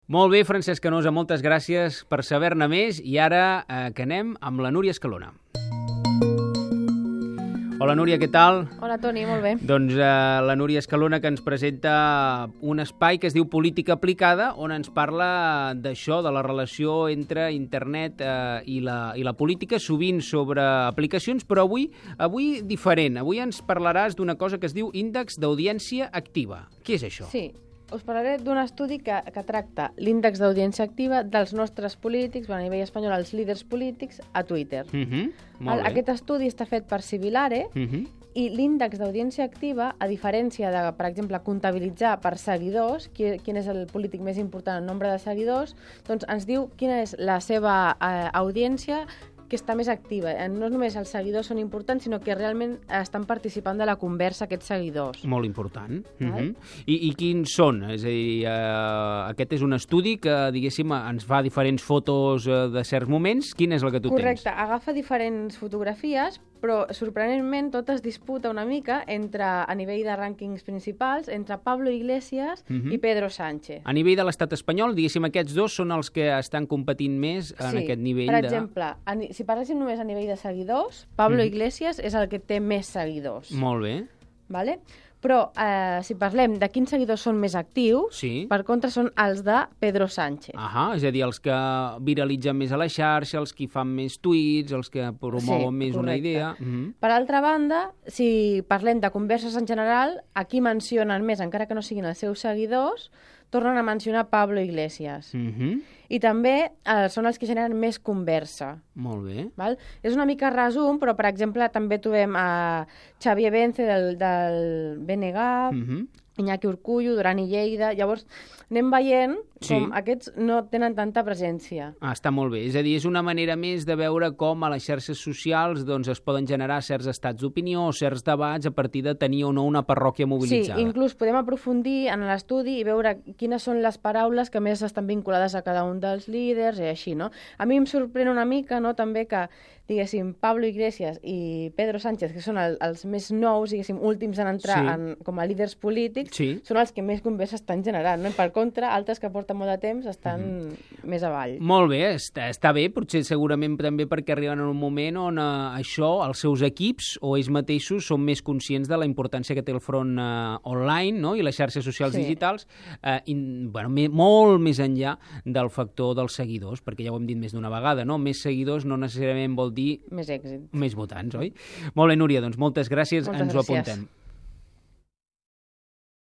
Molt bé, Francesc Canosa, moltes gràcies per saber-ne més i ara que anem amb la Núria Escalona. Hola, Núria, què tal? Hola, Toni, molt bé. Doncs la Núria Escalona que ens presenta un espai que es diu Política Aplicada, on ens parla d'això, de la relació entre internet i la política, sovint sobre aplicacions, però avui diferent. Avui ens parlaràs d'una cosa que es diu índex d'audiència activa. Què és això? Sí, us parlaré d'un estudi que tracta l'índex d'audiència activa dels nostres polítics, a nivell espanyol, els líders polítics, a Twitter. Molt bé. Aquest estudi està fet per Civilare i l'índex d'audiència activa, a diferència de, per exemple, comptabilitzar per seguidors, quin és el polític més important en nombre de seguidors, doncs ens diu quina és la seva audiència que està més activa. No només els seguidors són importants, sinó que realment estan participant de la conversa aquests seguidors. Molt important. I quins són? És a dir, aquest és un estudi que, diguéssim, ens fa diferents fotos de certs moments. Quina és la que tu tens? Correcte, agafa diferents fotografies, però sorprenentment tot es disputa una mica a nivell de rànquings principals entre Pablo Iglesias i Pedro Sánchez. A nivell de l'estat espanyol, diguéssim, aquests dos són els que estan competint més en aquest nivell per exemple, si parléssim només a nivell de seguidors, Pablo Iglesias és el que té més seguidors. Molt bé. Vale? Però si parlem de quins seguidors són més actius, per contra són els de Pedro Sánchez. És a dir, els que viralitzen més a la xarxa, els que fan més tuits, els que promouen més una idea. Per altra banda, si parlem de converses en general, aquí mencionen més, encara que no siguin els seus seguidors, tornen a mencionar Pablo Iglesias. I també són els que generen més conversa. Molt bé. Val? És una mica resum, però, per exemple, també trobem a Xavier Vence del BNG, Iñaki Urkullu, Duran i Lleida. Llavors, anem veient com aquests no tenen tanta presència. Està molt bé. És a dir, és una manera més de veure com a les xarxes socials doncs, es poden generar certs estats d'opinió o certs debats a partir de tenir o no una parròquia mobilitzada. Sí, inclús podem aprofundir en l'estudi i veure quines són les paraules que més estan vinculades a cada un dels líders i així, no? A mi em sorprèn una mica, no?, també que, diguéssim, Pablo Iglesias i Pedro Sánchez, que són els més nous, diguéssim, últims en entrar com a líders polítics, són els que més conversa estan generant, no? Per contra, altres que porten molt de temps estan més avall. Molt bé, està bé, potser segurament també perquè arriben en un moment on això, els seus equips o ells mateixos són més conscients de la importància que té el front online, no?, i les xarxes socials digitals, molt més enllà del factor dels seguidors, perquè ja ho hem dit més d'una vegada, no? Més seguidors no necessàriament vol dir més èxit. Més votants, oi? Molt bé, Núria, doncs moltes gràcies, ens ho apuntem.